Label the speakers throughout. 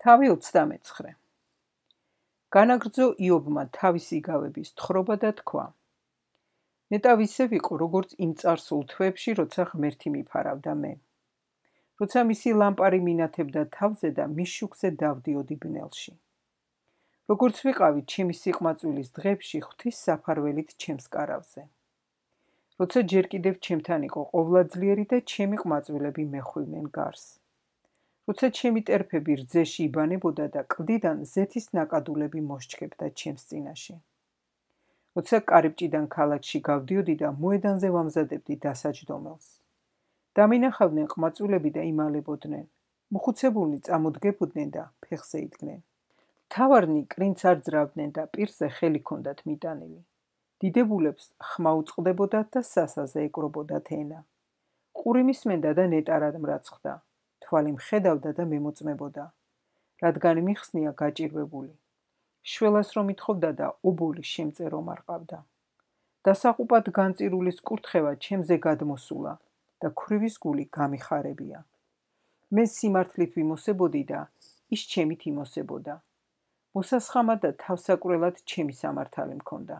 Speaker 1: თავი 29. განაგრძო იობმა თავისი იგავების თხრობა და თქვა: ნეტავ ისე ვიყო, როგორც იმ წარსულ თვეებში, როცა ღმერთი მიფარავდა მე. როცა მისი ლამპარი მინათებდა თავზე და მის შუქზე დავდიოდი ბნელში. როგორც ვიყავი ჩემი სიყვმაწვილის დღეებში ღვთის საფარველით ჩემს კარავზე. როცა ჯერ კიდევ ჩემთან იყო ყოვლადძლიერი და ჩემი ყმაწვილები მეხვივნენ გარს. როცა ჩემი ტერფები რძეში იბანებოდა და კლდიდან ზეთის ნაკადულები მოსჩქებდა ჩემს წინაში. როცა კარიბჭიდან ქალაქში გავდიოდი და მოედანზე ვამზადებდი დასაჯდომელს. დამინახავდნენ ყმაწვილები და იმალებოდნენ, მოხუცებულნი წამოდგებოდნენ და ფეხზე იდგნენ. მთავარნი კრინც არ ძრავდნენ და პირზე ხელი ჰქონდათ მიტანილი. დიდებულებს ხმა უწყდებოდათ და სასაზე ეკრობოდათ ენა. ყური მისმენდა და ნეტარად მრაცხდა. თვალი მხედავდა და მემოწმებოდა, რადგან მიხსნია გაჭირვებული. შველას რომ ითხოვდა და ობოლი შემწერო მარყავდა. დასაყუპად განწირულის კურთხევა ჩემზე გადმოსულა და ქვრივის გული გამიხარებია. მე სიმართლით ვიმოსებოდი და ის ჩემით იმოსებოდა. მოსასხამად და თავსაკვრელად ჩემი სამართალი მქონდა.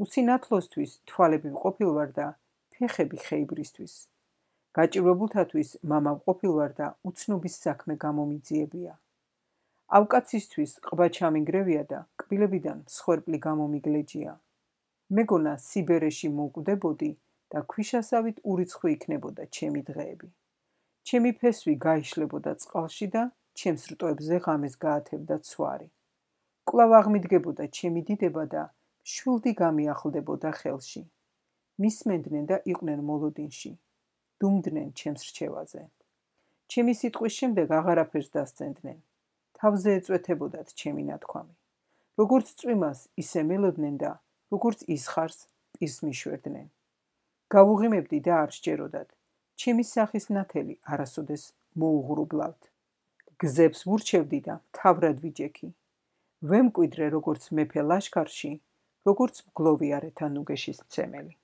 Speaker 1: უსინათლოსთვის თვალები ვყოფილვარ და ფეხები ხეიბრისთვის. გაჭირვებულთათვის მამა ვყოფილვარ და უცნობის საქმე გამომიძიებია. ავკაცისთვის ყბა ჩამინგრევია და კბილებიდან მსხვერპლი გამომიგლეჯია. მეგონა სიბერეში მოვკვდებოდი და ქვიშასავით ურიცხვი იქნებოდა ჩემი დღეები. ჩემი ფესვი გაიშლებოდა წყალში და ჩემს რტოებზე ღამეს გაათევდა ცვარი. კვლავ აღმიდგებოდა ჩემი დიდება და შვილდი გამიახლდებოდა ხელში. მისმენდნენ და იყვნენ მოლოდინში. დუმდნენ ჩემს რჩევაზე. ჩემი სიტყვის შემდეგ აღარაფერს დასცენდნენ. თავზე ეწვეთებოდათ ჩემი ნათქვამი. როგორც წვიმას ისე მელოდნენ და როგორც ისხარს პირს მიშვერდნენ. გავუღიმებდი და არ სჯეროდათ. ჩემი სახის ნათელი არასოდეს მოუღრუბლავთ. გზებს ვურჩევდი და მთავრად ვიჯექი. ვემკვიდრე როგორც მეფე ლაშქარში, როგორც მგლოვი არეთა ნუგეშის მცემელი.